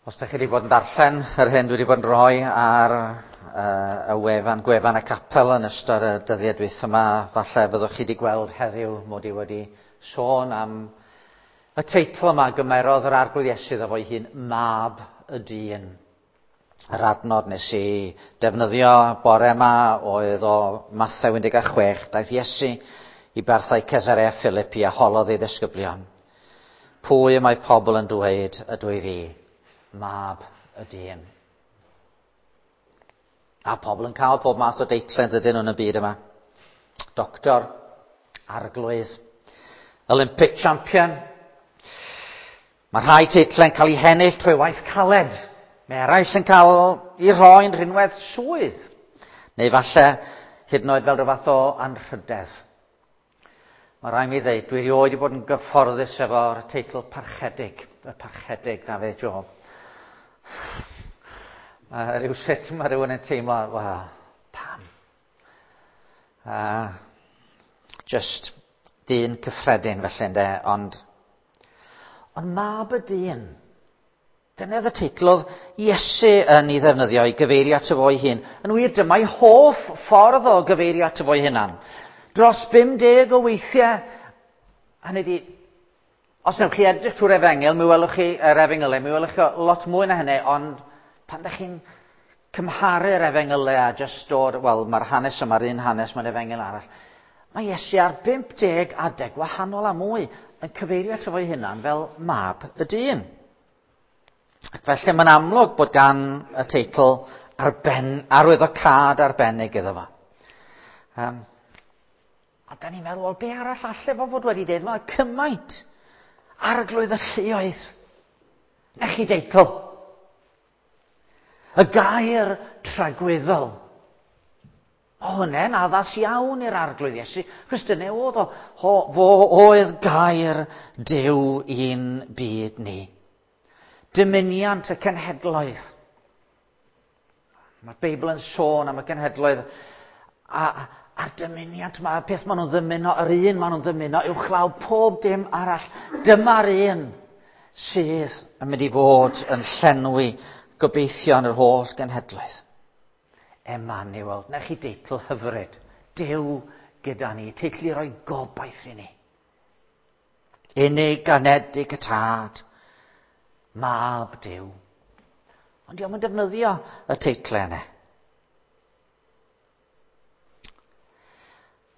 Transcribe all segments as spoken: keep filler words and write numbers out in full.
Os ydych chi wedi bod yn darllen yr hyn dwi wedi bod yn rhoi ar uh, y wefan, gwefan y capel yn ystod y dyddiau dwytha yma, falle fyddwch chi wedi gweld heddiw mod i wedi sôn am y teitl yma gymerodd yr Arglwydd Iesu iddo fo'i hun, Mab y Dyn. Yr adnod nes i defnyddio bore yma oedd o Mathew un deg chwech, daeth Iesu i barthau Cesarea Philippi a holodd ei ddisgyblion. Pwy y mae pobl yn dweud ydw i fi? Mab y Dyn. A pobl yn cael pob math o deitlau dydyn nhw yn y byd yma. Doctor, Arglwydd, Olympic champion. Mae rhai teitlau'n cael eu hennill trwy waith caled. Mae eraill yn cael eu rhoi'n rhinwedd swydd. Neu falle hyd yn oed fel rhyw fath o anrhydedd. Mae rhaid mi ddeud, dwi erioed wedi bod yn gyfforddus efo'r teitl parchedig, y parchedig Dafydd Job. Mae rhyw sut mae rhywun yn teimlo, wel, pam? Uh, just dyn cyffredin felly, ynde, ond, ond Mab y Dyn. Dyna oedd y teitl oedd Iesu yn ei ddefnyddio i gyfeirio ato fo'i hun. Yn wir, dyma'i hoff ffordd o gyfeirio ato fo'i hunan. Dros bum deg o weithiau, hynny ydi, os newch chi edrych trwy'r efengyl, mi welwch chi yr efengylau, mi welwch chi lot mwy na hynny, ond pan ydych chi'n cymharu'r efengylau a just dod, wel, mae'r hanes yma'r un hanes, mae'n efengyl arall. Mae Iesu ar bump deg adeg wahanol a mwy yn cyfeirio ato fo'i hunan fel Mab y Dyn. Ac felly mae'n amlwg bod gan y teitl arben, arwyddocâd arbennig iddo fo. Um, a da ni'n meddwl, wel, be arall alle fo fod wedi dweud? Mae cymaint. Arglwydd y lluoedd. Na chi deitl. Y gair tragwyddol. O, hwnna'n addas iawn i'r Arglwydd Iesu. Chos dyna oedd o, ho, fo oedd gair Duw i'n byd ni. Dymuniant y cenhedloedd. Mae'r Beibl yn sôn am y cenhedloedd a, a'r dymuniant yma, y peth maen nhw'n ddymuno, yr un maen nhw'n ddymuno, uwchlaw pob dim arall. Dyma'r un sydd yn mynd i fod yn llenwi gobeithio yn yr holl genhedloedd. Emmanuel, na chi deitl hyfryd. Duw gyda ni, teitl i roi gobaith i ni. Unig anedig y Tad, Mab Duw. Ond dio'm yn defnyddio y teitlau yna.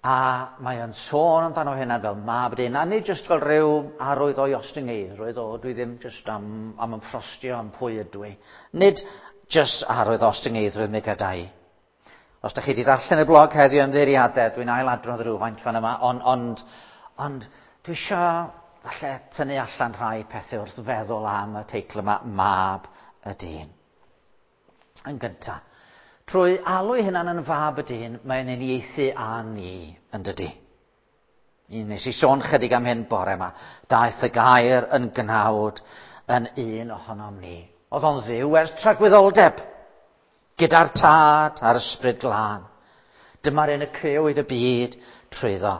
A mae o'n sôn amdano hynna fel Mab Dyn, a nid jyst fel rhyw arwydd o'i ostyngeiddrwydd, o dwi ddim jyst am, am ymffrostio am pwy ydw i. Nid jyst arwydd ostyngeiddrwydd mi gada i. Os da chi wedi darllen y blog heddiw ymddiheuriadau, dwi'n ailadrodd rhywfaint fan yma, ond, ond, ond dwi eisiau falle tynnu allan rhai pethau wrth feddwl am y teitl yma, Mab y Dyn. Yn gyntaf, trwy alw ei hunan yn Fab y Dyn, mae'n uniaethu â ni yn dydi. Nes i sôn chydig am hyn bore yma. Daeth y gair yn gnawd yn un ohonom ni. Oedd o'n Dduw ers tragwyddoldeb, gyda'r Tad a'r Ysbryd Glân. Dyma'r un y crëwyd y byd trwyddo.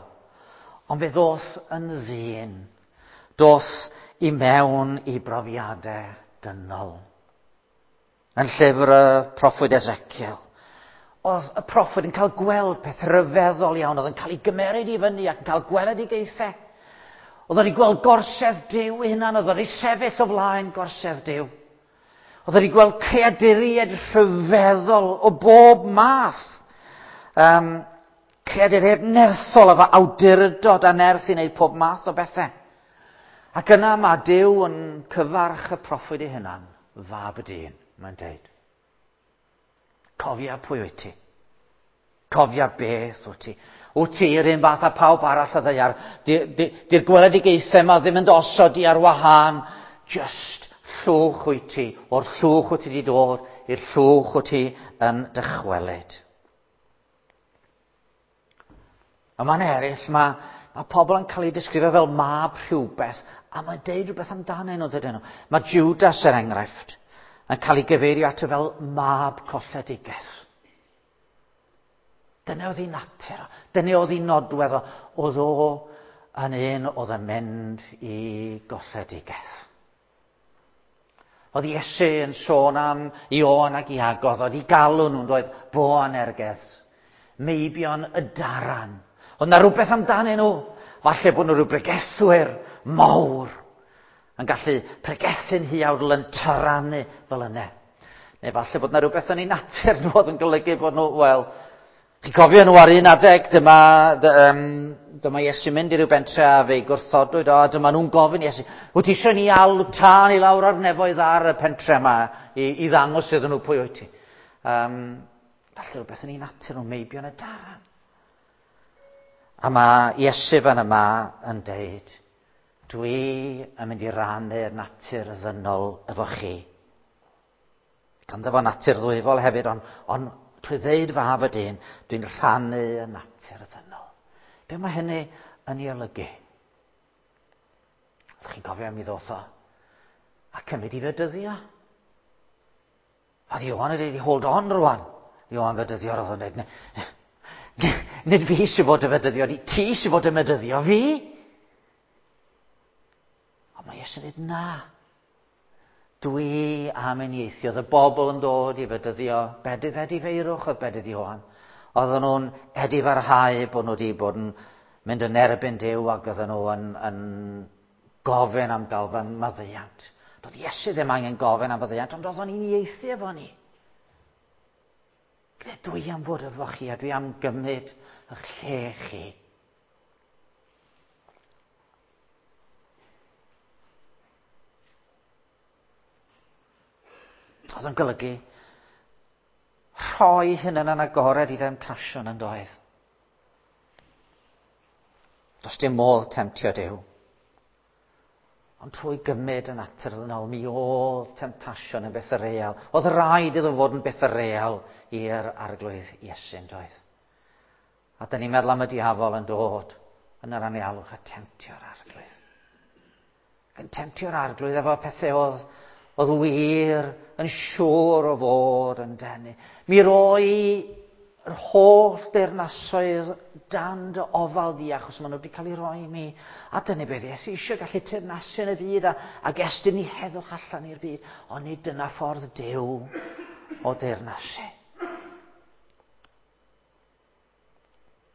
Ond fe ddoth yn ddyn. Doth i mewn i brofiadau dynol. Yn llyfr y proffwyd Ezekiel, oedd y proffwyd yn cael gweld peth rhyfeddol iawn, oedd yn cael ei gymeryd i fyny ac yn cael gweledigaethau. Oedd wedi gweld gorsedd Duw ei hunan, oedd wedi sefyll o flaen gorsedd Duw. Oedd wedi gweld creaduriaid rhyfeddol o bob math. Um, creaduriaid nerthol efo awdurdod a nerth i wneud pob math o bethau. Ac yna mae Duw yn cyfarch y proffwyd ei hunan, Fab y Dyn, mae'n deud. Cofia pwy wyt ti. Cofia beth wyt ti. Wyt ti yr un fath â pawb arall y ddaear. Di'r gweledigaethau yma ddim yn dosod i ar wahân. Just llwch wyt ti. O'r llwch wyt ti wedi dod, i'r llwch wyt ti yn dychwelyd. A mae'n eraill, mae, mae pobl yn cael eu disgrifio fel mab rhywbeth, a mae'n deud rhywbeth amdanyn nhw, dydyn nhw. Mae Judas, er enghraifft, yn cael ei gyfeirio ato fel mab colledigaeth. Dyna oedd ei natur, dyna oedd ei nodwedd o, oedd o yn un oedd yn mynd i golledigaeth. Oedd Iesu yn sôn am Ioan ac Iago, oedd i galw nhw'n dweud Boanerges, meibion y daran. Oedd na rhywbeth amdanyn nhw. Falle bod nhw rhyw bregethwyr mawr yn gallu pregethu'n huawdl yn taranu fel yna. Neu falle bod na rhywbeth yn ei natur nhw oedd yn golygu bod nhw, wel, chi'n cofio nhw ar un adeg, dyma, um, dyma Iesu mynd i ryw bentre a fe'i gwrthodwyd o, a dyma nhw'n gofyn Iesu, wyt ti eisiau ni alw tân i lawr ar nefoedd ar y pentre yma i, i ddangos iddyn nhw pwy wyt ti? Um, falle rhywbeth yn ei natur nhw, meibion y daran. A mae Iesu fan yma yn deud, dwi yn mynd i rannu'r natur ddynol efo chi. Ganddo fo natur ddwyfol hefyd, ond on, trwy ddeud fab y dyn, dwi'n rhannu y natur ddynol. Be mae hynny yn ei olygu? Ydych chi'n cofio mi ddoth o a cymryd i fedyddio? Oedd Ioan yn dweud, hold on rwan. Ioan fedyddio, oedd o'n dweud, nid fi sy'n fod y fedyddio, ti sy'n fod y medyddio fi. Ond mae Iesu'n dweud, na. Dwi am unieithio. Oedd y bobl yn dod i fedyddio bedydd edifeirwch oedd bedydd Ioan. Oedden nhw'n edifarhau bod nhw wedi bod yn mynd yn erbyn Duw ac oedden nhw yn, yn gofyn am gael fy maddeuant. Doedd Iesu ddim angen gofyn am faddeuant, ond oedd o'n unieithu efo ni. Dwi am fod efo chi a dwi am gymryd eich lle chi. Oedd yn golygu rhoi hunan yn agored i demtasiwn yn doedd. Does dim modd temtio Duw. Ond trwy gymryd yn natur ddynol, mi oedd temtasiwn yn beth real. Oedd rhaid iddo fod yn beth real i'r Arglwydd Iesu, yn doedd. A da ni'n meddwl am y diafol yn dod yn yr anialwch a temtio'r Arglwydd. Ac yn temtio'r Arglwydd efo pethau oedd, oedd wir yn siŵr o fod yn denu. Mi roi yr holl deyrnasoedd dan dy ofal di, achos maen nhw wedi cael eu rhoi i mi. A dyna beth Iesu eisiau gallu teyrnasu yn y byd a, ac estyn i heddwch allan i'r byd. Ond nid dyna ffordd Duw o deyrnasu.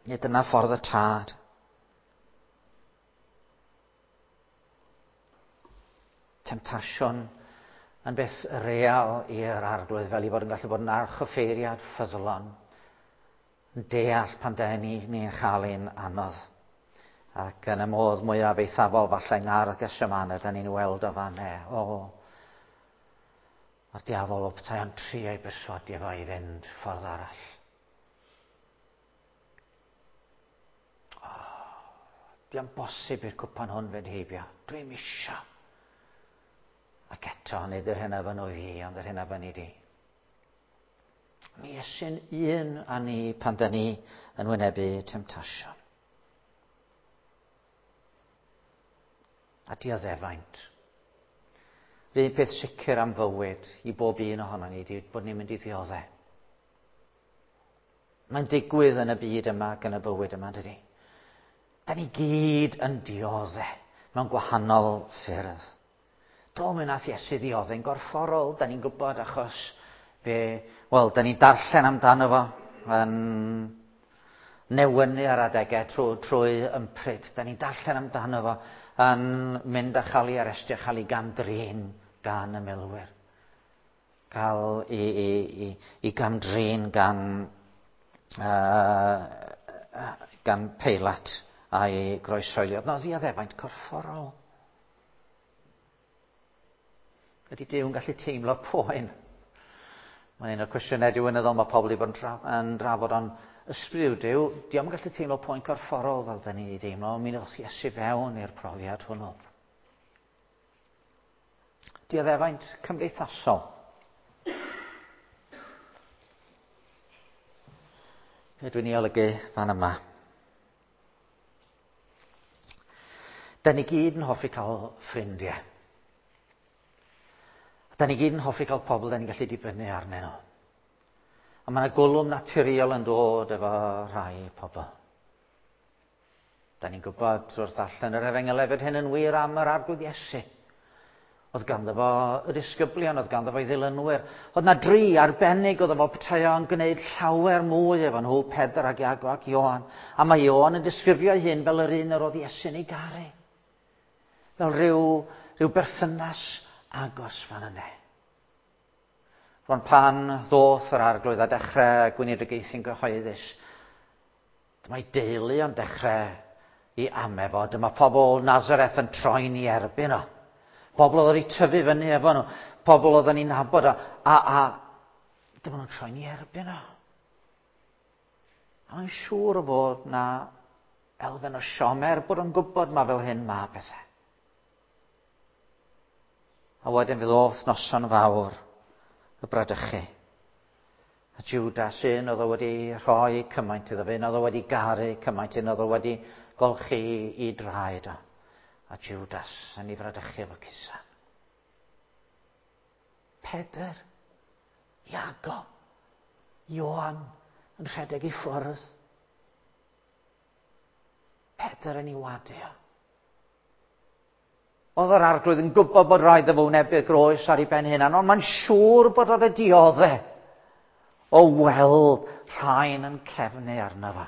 Nid dyna ffordd y Tad. Temtasiwn yn beth real i'r Arglwydd, fel i fod yn gallu bod yn archoffeiriad ffyddlon, yn deall pan da ni ni'n chael ein anodd. Ac yn y modd mwyaf eithafol, falle yng Ngardd Gethsemane, da ni'n weld o fan e. O, a'r diafol o petai o'n trio ei berswadio fo i fynd ffordd arall. O, di'n bosib i'r cwpan hwn fynd heibio. Dwi'm isio. Ac eto, nid yr hyn a fynnu fi, ond yr hyn a fynnu di. Mi Iesu'n un â ni pan da ni yn wynebu temtasiwn. A dioddefaint. Yr un peth sicr am fywyd i bob un ohono ni ydy bod ni'n mynd i ddioddef. Mae'n digwydd yn y byd yma ac yn y bywyd yma, dydy. Da ni gyd yn dioddef mewn gwahanol ffyrdd. Do, mi wnaeth Iesu ddioddef'n gorfforol, da ni'n gwybod achos fe, wel, da ni'n darllen amdano fo yn newynu ar adegau trwy, trwy ympryd. Da ni'n darllen amdano fo yn mynd a chael ei arestio, chael ei gamdrin gan y milwyr. Cael ei, ei, ei, ei gamdrin gan, uh, gan Peilat a'i groeshoelio. No, ddioddefaint corfforol. Ydy Duw yn gallu teimlo poen? Mae'n un o'r cwestiynau diwynyddol mae pobl wedi bod yn, dra yn drafod, ond ysbryd Duw, dio'm yn gallu teimlo poen corfforol fel da ni'n ei deimlo, mi ddoth Iesu fewn i'r profiad hwnnw. Dioddefaint cymdeithasol. Be dwi'n ei olygu fan yma? Da ni gyd yn hoffi cael ffrindiau. Da ni gyd yn hoffi cael pobl da ni'n gallu dibynnu arnyn nhw. A mae yna gwlwm naturiol yn dod efo rhai pobl. Da ni'n gwybod wrth allan yr Efengyl hefyd hyn yn wir am yr Arglwydd Iesu. Oedd ganddo fo y disgyblion, oedd ganddo fo ei ddilynwyr. Oedd na dri arbennig oedd efo petai o'n gwneud llawer mwy efo nhw, Pedr ac Iago ac Ioan. A mae Ioan yn disgrifio ei hun fel yr un yr oedd Iesu'n ei garu. Fel rhyw, rhyw berthynas agos fan yna. Rwan pan ddoth yr Arglwydd a dechrau gweinidogaethu'n gyhoeddus, dyma'i deulu o'n dechrau i ame fo. Dyma pobl Nazareth yn troi'n ei erbyn o. Pobl oedd wedi tyfu fyny efo nhw. Pobl oedd yn ei nabod o. A, a dyma nhw'n troi'n ei erbyn o. A mae'n siŵr o fod na elfen o siom er bod o'n gwybod ma fel hyn ma pethau. A wedyn fe ddoth noson fawr y bradychu. A Judas, un oedd o wedi rhoi cymaint iddo fe, un oedd o wedi garu cymaint, un oedd o wedi golchi i draed o. A Judas yn ei fradychu efo cusan. Pedr, Iago, Ioan yn rhedeg i ffwrdd. Pedr yn ei wadu o. Oedd yr Arglwydd yn gwybod bod rhaid iddo fo wynebu'r groes ar ei ben hunan, ond mae'n siŵr bod oedd y diodde o weld rhain yn cefnu arno fo.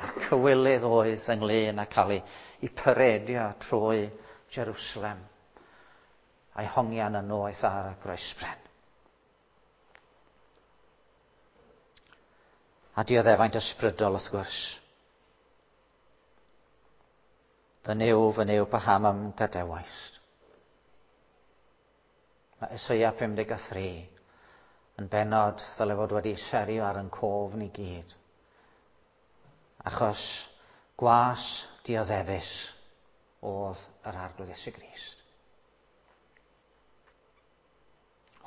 A'r cywilydd oedd ynglyn â cael ei, ei paredio trwy Jerusalem a'i hongian yn noeth ar y groesbren. A dioddefaint ysbrydol wrth gwrs. Fy Nuw, fy Nuw, paham am gadawaist? Mae Eseia pum deg a thri yn bennod ddyle fod wedi serio ar yn cof ni gyd. Achos gwas dioddefus oedd yr Arglwydd Iesu Grist.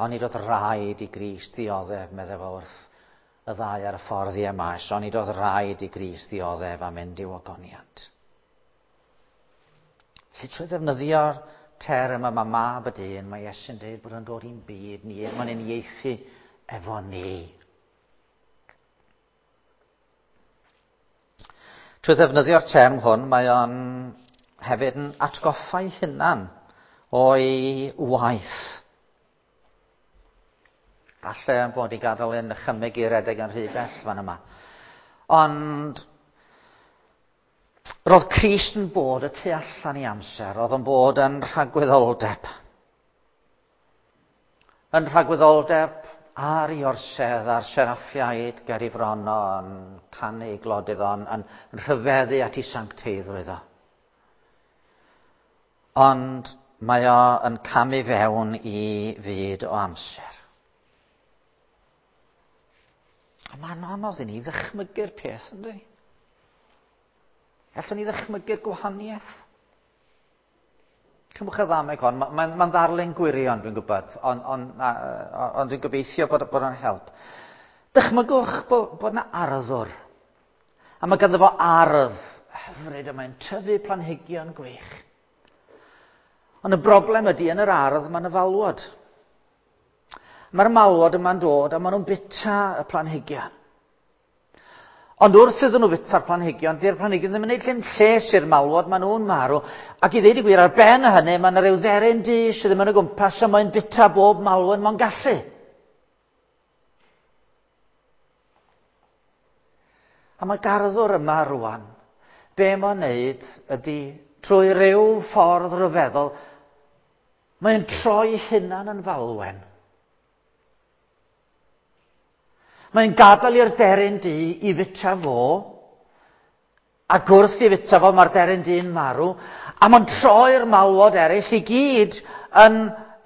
Onid oedd rhaid i Grist ddioddef, meddai fo wrth y ddau ar y ffordd i Emmaus, onid oedd rhaid i Grist ddioddef a mynd i'w ogoniant. Felly trwy ddefnyddio'r term yma mab y dyn, mae Iesu'n dweud bod o'n dod i'n byd ni, mae'n uniaethu efo ni. Trwy ddefnyddio'r term hwn, mae o'n hefyd yn atgoffa'i hunan o'i waith. Falle yn bod i gadael yn nychymyg i redeg yn rhy bell fan yma. Ond roedd Crist yn bod y tu allan i amser, roedd o'n bod yn rhagwyddoldeb. Yn rhagwyddoldeb ar ei orsedd, a'r seraffiaid ger ei fron o, yn canu glod iddo, yn, yn rhyfeddu at ei sancteiddrwydd o. Ond mae o yn camu fewn i fyd o amser. A mae'n anodd i ni ddychmygu'r peth, ynddi? Allwn ni ddychmygu'r gwahaniaeth? Cymwch y ddameg hon, mae'n ma, ma ddarlun gwirion, dwi'n gwybod, ond on, on dwi'n gobeithio bod, bod o'n help. Dychmygwch bod, bod yna arddwr. A mae ganddo fo ardd hyfryd, a mae'n tyfu planhigion gwych. Ond y broblem ydy, yn yr ardd, mae'n y falwod. Mae'r malwod yma'n dod a maen nhw'n bita y planhigion. Ond wrth iddyn nhw fita'r planhigion, dy'r planhigion ddim yn gwneud dim lles i'r malwod, maen nhw'n marw. Ac i ddeud y gwir, ar ben hynny, mae yna ryw dderyn du sydd ddim yn y gwmpas a mae'n bita bob malwen mae'n gallu. A mae garddwr yma rwan, be mae'n wneud ydy, trwy ryw ffordd ryfeddol, mae'n troi hunan yn falwen. Mae'n gadael i'r deryn du i fita fo, ac wrth i fita fo mae'r deryn du'n marw, a mae'n troi'r malwod eraill i gyd yn,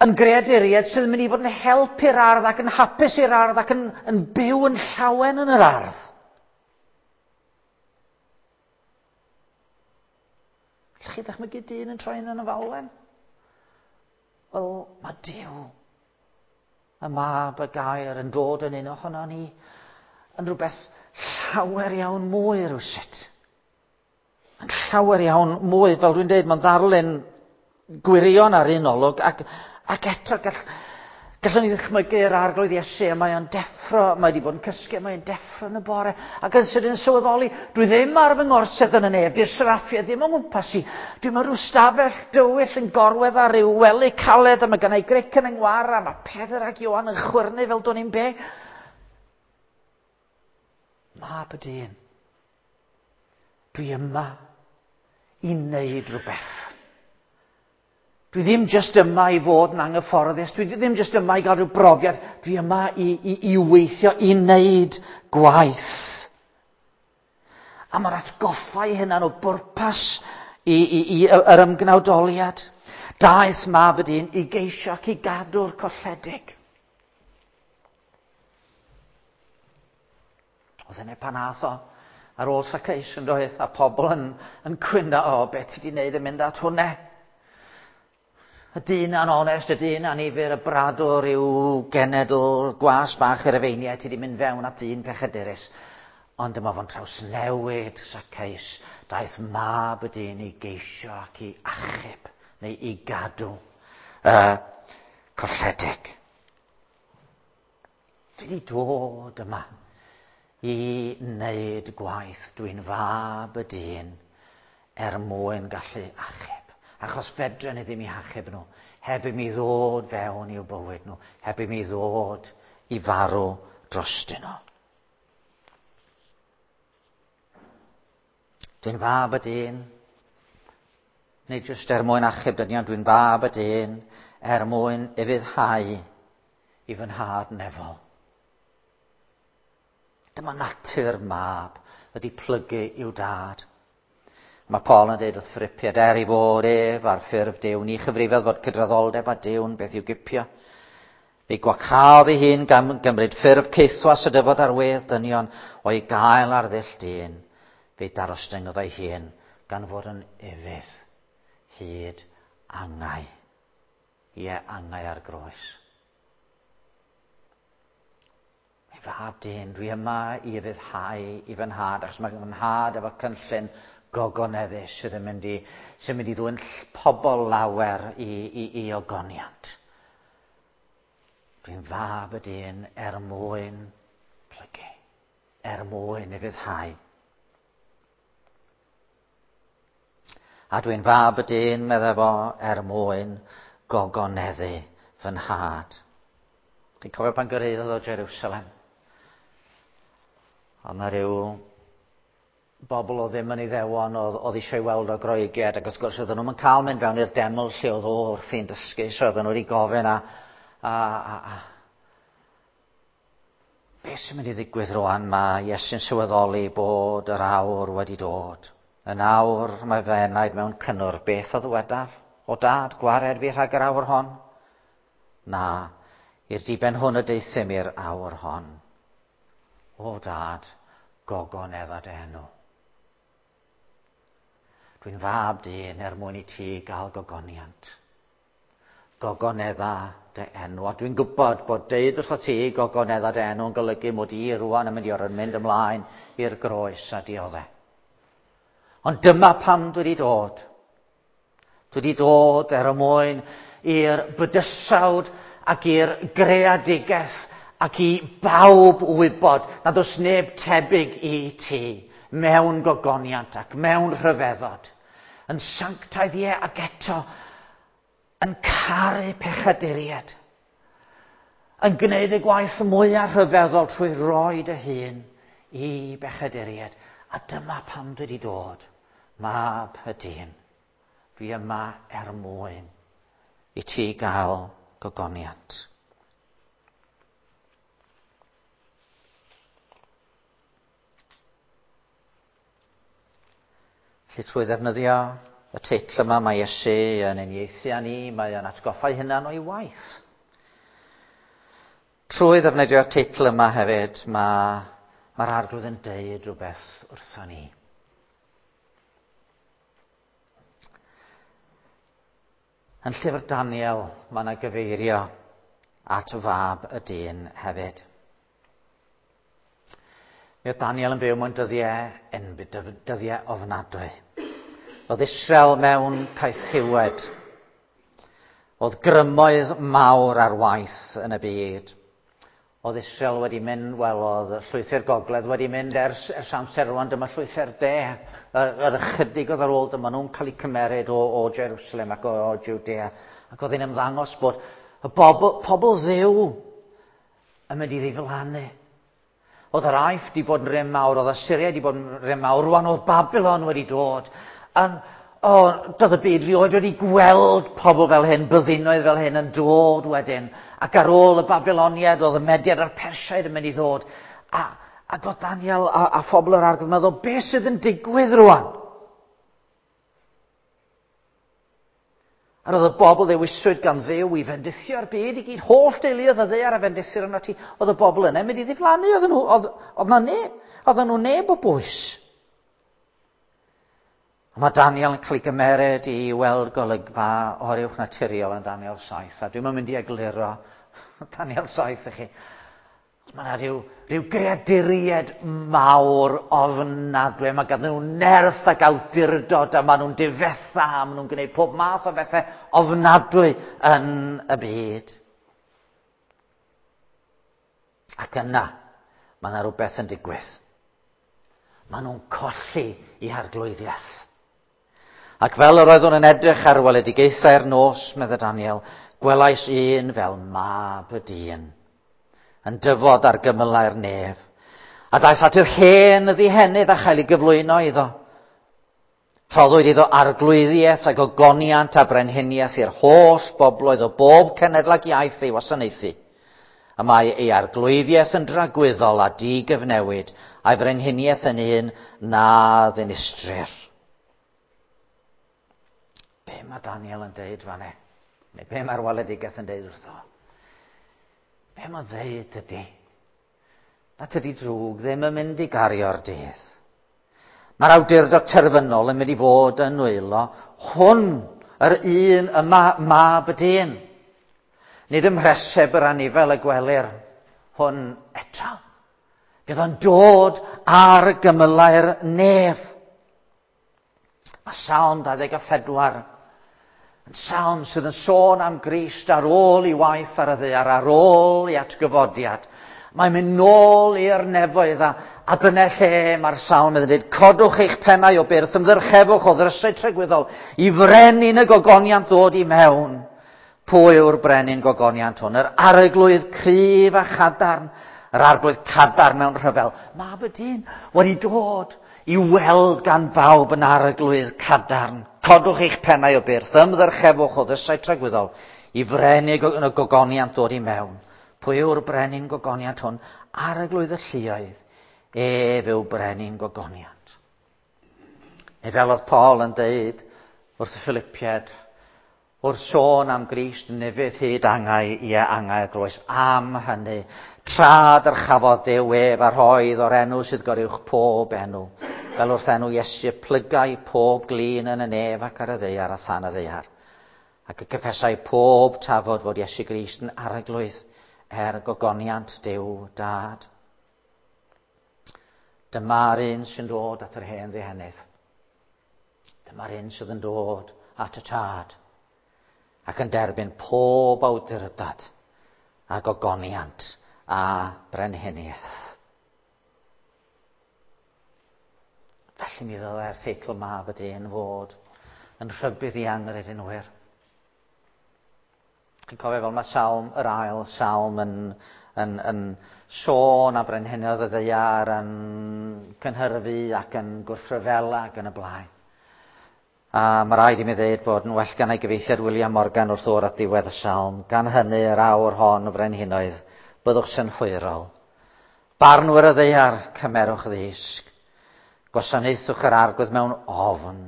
yn greaduriaid sydd yn mynd i fod yn help i'r ardd ac yn hapus i'r ardd ac yn, yn byw yn llawen yn yr ardd. Allwch chi ddychmygu dyn yn troi yn y falwen? Wel, mae Duw, y mab y gair yn dod yn un ohono ni yn rhywbeth llawer iawn mwy rywsut. Yn llawer iawn mwy, fel dwi'n dweud, mae'n ddarlun gwirion ar un olwg, ac, ac eto gall, Gallwn ni ddychmygu'r Arglwydd Iesu, a mae o'n deffro, mae wedi bod yn cysgu, mae o'n deffro yn y bore, ac yn sydyn sylweddoli, dwi ddim ar fy ngorsedd yn y nef, di'r seraffiau ddim o'n ngwmpas i. Dwi mewn rhyw stafell dywyll yn gorwedd ar ryw wely caled, a mae gennai gric yn 'y ngwar, a mae Pedr ac Ioan yn chwyrnu fel do'n i'n be. Mab y dyn, dwi yma i wneud rhywbeth. Dwi ddim jyst yma i fod yn anghyfforddus, dwi ddim jyst yma i gael rhyw brofiad, dwi yma i, i, i weithio, i wneud gwaith. A mae'r atgoffa i hynna'n o bwrpas i, i, i yr ymgnawdoliad. Daeth mab y dyn i geisio ac i gadw'r colledig. Oedd yna pan ath o ar ôl Zacchaeus yn doedd, a pobl yn, yn cwyno, o, beth ti wedi wneud yn mynd at hwnna? Y dyn anonest, y dyn anifyr, y bradwr yw genedl, gwas bach yr efeiniau, ti wedi mynd fewn at dyn pechadurus. Ond dyma fo'n trawsnewid Zacchaeus. Daeth mab y dyn i geisio ac i achub, neu i gadw uh, colledig. Dwi wedi dod yma i wneud gwaith. Dwi'n fab y dyn er mwyn gallu achub. Achos fedren ni ddim i hachub nhw, heb i mi ddod fewn i'w bywyd nhw, heb i mi ddod i farw drostyn nhw. Dwi'n fab y dyn, nid jyst er mwyn achub dynion, dwi'n fab y dyn er mwyn ufuddhau i fy nhad nefol. Dyma natur mab ydy plygu i'w dad. Mae Paul yn dweud wrth Philippiaid, er i fod ef ar ffurf Duw, ni chyfrifodd fod cydraddoldeb a Duw'n beth i'w gipio. Fe gwacaodd ei hun gan gymryd ffurf caethwas a dyfod ar wedd dynion o'i gael ar ddull dyn. Fe darostyngodd ei hun gan fod yn ufudd hyd angau. Ie, angau ar groes. Ei fab dyn, dwi yma i ufuddhau i fy nhad, achos mae fy nhad efo cynllun gogoneddus sydd yn mynd i, sy'n mynd i ddwyn pobl lawer i, i, i ogoniant. Dwi'n fab y dyn er mwyn plygu, er mwyn ufuddhau. A dwi'n fab y dyn, meddai fo, er mwyn gogoneddu fy nhad. Chi'n cofio pan gyrhaeddodd o Jerusalem? Oedd 'na ryw bobl oedd ddim yn Iddewon, oedd, oedd eisiau ei weld o Groegiad, ac wrth gwrs oedden nhw'n cael mynd fewn i'r deml lle oedd o wrthi'n dysgu, so oedden nhw wedi gofyn a, a, a, a beth sy'n mynd i ddigwydd rwan? Mae Iesu'n sylweddoli bod yr awr wedi dod. Yn awr mae fy enaid mewn cynnwr. Beth a ddywedaf? O dad, gwared fi rhag yr awr hon? Na, i'r diben hwn y deuthum i'r awr hon. O dad, gogonedda dy enw. Dwi'n fab dyn er mwyn i ti gael gogoniant. Gogonedda dy enw. A dwi'n gwybod bod deud wrtho ti gogonedda dy enw yn golygu mod i rwan yn mynd i orfod mynd ymlaen i'r groes a diodde. Ond dyma pam dwi wedi dod. Dwi wedi dod er mwyn i'r bydysawd ac i'r greadigaeth ac i bawb wybod nad oes neb tebyg i ti mewn gogoniant ac mewn rhyfeddod. Yn sanctaidd, ie, ac eto yn caru pechaduriaid. Yn gwneud y gwaith mwyaf rhyfeddol trwy roi dy hun i bechaduriaid. A dyma pam dwi wedi dod, mab y dyn. Dwi yma er mwyn i ti gael gogoniant. Felly trwy ddefnyddio y teitl yma, mae Iesu yn uniaethu â ni, mae o'n atgoffa ei hunan o'i waith. Trwy ddefnyddio'r teitl yma hefyd, mae, mae'r Arglwydd yn deud rhywbeth wrthon ni. Yn llyfr Daniel, mae yna gyfeirio at fab y dyn hefyd. Mi oedd Daniel yn byw mewn dyddiau enbyd, dyddiau ofnadwy. Oedd Israel mewn caethiwed. Oedd grymoedd mawr ar waith yn y byd. Oedd Israel wedi mynd, wel, oedd llwythi'r gogledd wedi mynd ers, ers amser rwan, dyma llwythi'r de. Yr, yr ychydig oedd ar ôl, dyma nhw'n cael eu cymeryd o, o Jerusalem ac o, o Judea. Ac oedd hi'n ymddangos bod y bobl, pobl Dduw yn mynd i ddiflannu. Oedd yr Aifft wedi bod yn rym mawr, oedd Assyria wedi bod yn rym mawr, rwan oedd Babylon wedi dod. An, o, doedd y byd rioed wedi gweld pobl fel hyn, byddinoedd fel hyn yn dod wedyn. Ac ar ôl y Babyloniaid, oedd y Mediad a'r Persiaid yn mynd i ddod. A, ac oedd Daniel a, a phobl yr arglwydd yn meddwl, beth sydd yn digwydd rwan? A roedd y bobl ddewiswyd gan Dduw i fendithio'r byd i gyd, holl deuluoedd y ddaear a fendithir yna ti. Oedd y bobl yna mynd i ddiflannu, oedd nhw, oedd, oedd na neb, oedd nhw neb o bwys. A mae Daniel yn cael ei gymeryd i weld golygfa oruwch naturiol yn Daniel saith. A dwi'm yn mynd i egluro Daniel saith i chi. Mae yna rhyw, rhyw greaduriaid mawr ofnadwy. Mae ganddyn nhw nerth ac awdurdod a maen nhw'n difetha, a maen nhw'n gwneud pob math o bethau ofnadwy yn y byd. Ac yna, mae yna rhywbeth yn digwydd. Maen nhw'n colli eu harglwyddiaeth. Ac fel yr oeddwn yn edrych ar weledigaethau'r nos, medde Daniel, gwelais un fel mab y dyn, yn dyfod ar gymylau'r nef. A daeth at yr hen ddihenydd a chael ei gyflwyno iddo. Rhoddwyd iddo arglwyddiaeth ac ogoniant a brenhiniaeth i'r holl bobloedd o bob cenedl ac iaith ei wasanaethu. Y mae ei arglwyddiaeth yn dragwyddol a digyfnewid, a'i frenhiniaeth yn un na ddinistrir. Be mae Daniel yn deud fan e? Neu be mae'r weledigaeth yn deud wrtho? Be mae'n ddeud ydy? Na tydi drwg ddim yn mynd i gario'r dydd. Mae'r awdurdod terfynol yn mynd i fod yn nwylo hwn, yr un yma, mab y dyn. Nid ym mhreseb yr anifel y gwelir hwn eto. Bydd o'n dod ar gymylau'r nef. Mae Salm dau ddeg a phedwar yn salm sydd yn sôn am Grist ar ôl i waith ar y ddaear, ar ôl i atgyfodiad. Mae'n mynd nôl i'r nefoedd a, a dyna lle mae'r salm yn dweud, codwch eich pennau o byrth, ymddyrchefwch o ddrysau tragwyddol, i frenin y gogoniant ddod i mewn. Pwy yw'r brenin gogoniant hwn? Yr arglwydd cryf a chadarn, yr arglwydd cadarn mewn rhyfel. Mab y dyn wedi dod i weld gan bawb yn arglwydd cadarn. Codwch eich pennau o byrth, ymddyrchefwch o ddrysau tragwyddol, i frenin y gogoniant ddod i mewn. Pwy yw'r brenin gogoniant hwn? Arglwydd y lluoedd. Ef yw brenin gogoniant. Neu fel oedd Paul yn deud wrth y Philippiaid, wrth sôn am Grist nefydd hyd angau, ie angau y groes, am hynny, tra dyrchafodd Duw ef a rhoedd o'r enw sydd goruwch pob enw, fel wrth enw Iesu plygai pob glin yn y nef ac ar y ddaear a than y ddaear. Ac y cyffesai pob tafod fod Iesu Grist yn arglwydd er gogoniant Duw Dad. Dyma'r un sy'n dod at yr hen ddihenydd. Dyma'r un sydd yn dod at y Tad ac yn derbyn pob awdurdod a gogoniant a brenhiniaeth. Felly mi ddylai'r teitl Mab y Dyn fod yn rhybudd i anghredinwyr. Chi'n cofio fel mae salm, yr ail salm yn, yn, yn sôn a brenhinoedd y ddaear yn cynhyrfu ac yn gwrthryfela ac yn y blaen. A mae rhaid i mi ddeud bod yn well gan ei gyfeithiad William Morgan wrth ddod at ddiwedd y salm. Gan hynny yr awr hon o frenhinoedd, byddwch synhwyrol. Barnwyr y ddaear, cymerwch ddisg. Gwasanaethwch yr arglwydd mewn ofn.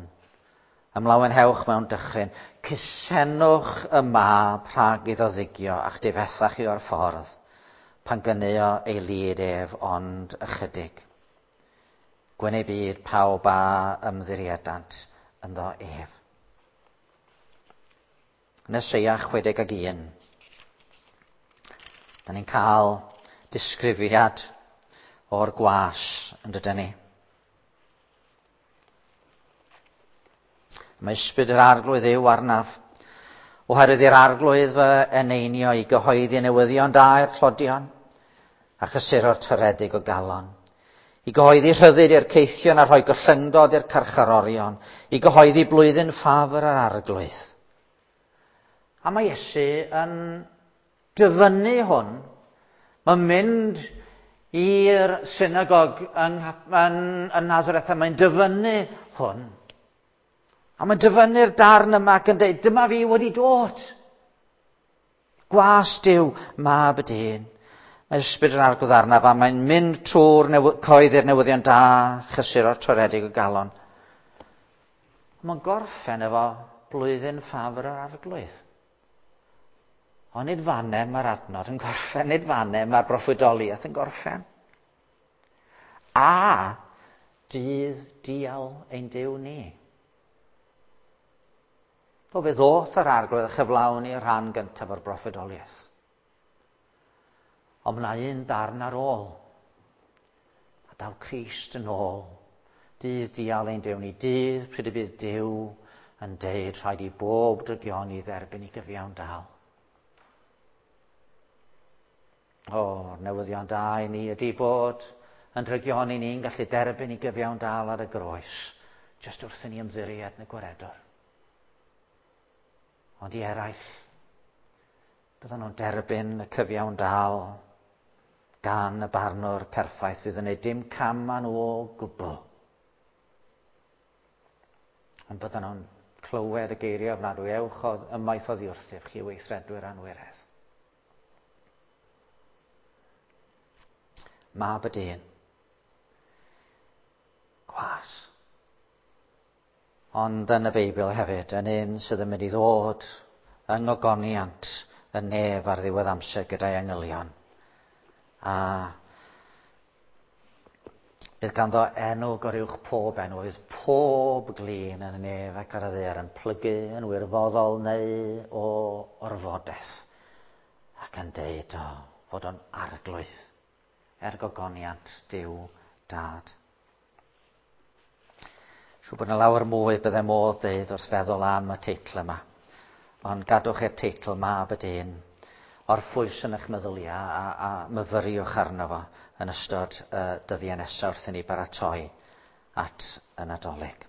Ymlawenhewch mewn dychryn. Cusenwch y mab rhag iddo ddigio a'ch difethach chi o'r ffordd, pan gynneuo ei lid ef ond ychydig. Gwyn ei byd pawb a ymddiriedant ynddo ef. Yn Eseia chwe deg ag un, da ni'n cael disgrifiad o'r gwas yn dydyn ni. Mae ysbryd yr arglwydd yw arnaf, Oherwydd i'r Arglwydd fy eneinio i gyhoeddi newyddion da i'r tlodion a chysuro'r toredig o galon. I gyhoeddi rhyddid i'r caethion a rhoi gollyngdod i'r carcharorion. I gyhoeddi blwyddyn ffafr yr Arglwydd. A mae Iesu yn dyfynnu hwn. Mae'n mynd i'r synagog yng, yn, yn Nazareth a mae'n dyfynnu hwn. A mae'n dyfynnu'r darn yma ac yn dweud, dyma fi wedi dod. Gwas Duw, mab y dyn. Mae ysbryd yr Arglwydd arnaf a mae'n mynd trwy'r newy- coeddi'r newyddion da, chysuro'r toredig o galon. Mae'n gorffen efo blwyddyn ffafr yr Arglwydd. Ond nid fanne mae'r adnod yn gorffen, nid fanne mae'r broffwydoliaeth yn gorffen. A dydd dial ein Duw ni. O, fe ddoth yr Arglwydd a chyflawni y rhan gyntaf o'r broffwydoliaeth. Ond mae yna un darn ar ôl. A daw Crist yn ôl. Dydd dial ein Duw ni. Dydd pryd y bydd Duw yn deud rhaid i bob drygioni dderbyn i gyfiawn dal. O, newyddion da i ni ydy bod yn drygioni ni'n gallu derbyn i gyfiawn dal ar y groes. Jyst wrth i ni ymddiried yn y Gwaredwr. Ond i eraill, byddan nhw'n derbyn y cyfiawn dal gan y barnwr perffaith fydd yn gwneud dim cam â nhw o gwbl. Ond byddan nhw'n clywed y geiriau ofnadwy, ewch ymaith oddi wrthyf chi weithredwyr anwiredd. Mab y dyn. Gwas. Ond yn y Beibl hefyd, yn un sydd yn mynd i ddod yng ngogoniant y nef ar ddiwedd amser gyda'i angylion. A bydd ganddo enw goruwch pob enw, bydd pob glin yn y nef ac ar y ddaear yn plygu yn wirfoddol neu o orfodaeth ac yn deud o fod o'n arglwydd er gogoniant Duw Dad. Siŵr bod yna lawer mwy byddai modd deud wrth feddwl am y teitl yma. Ond gadwch i'r teitl Mab y Dyn orffwys yn eich meddyliau a, a myfyriwch arno fo yn ystod y dyddiau nesaf wrth i ni baratoi at y Nadolig.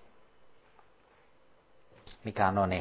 Mi ganwn ni.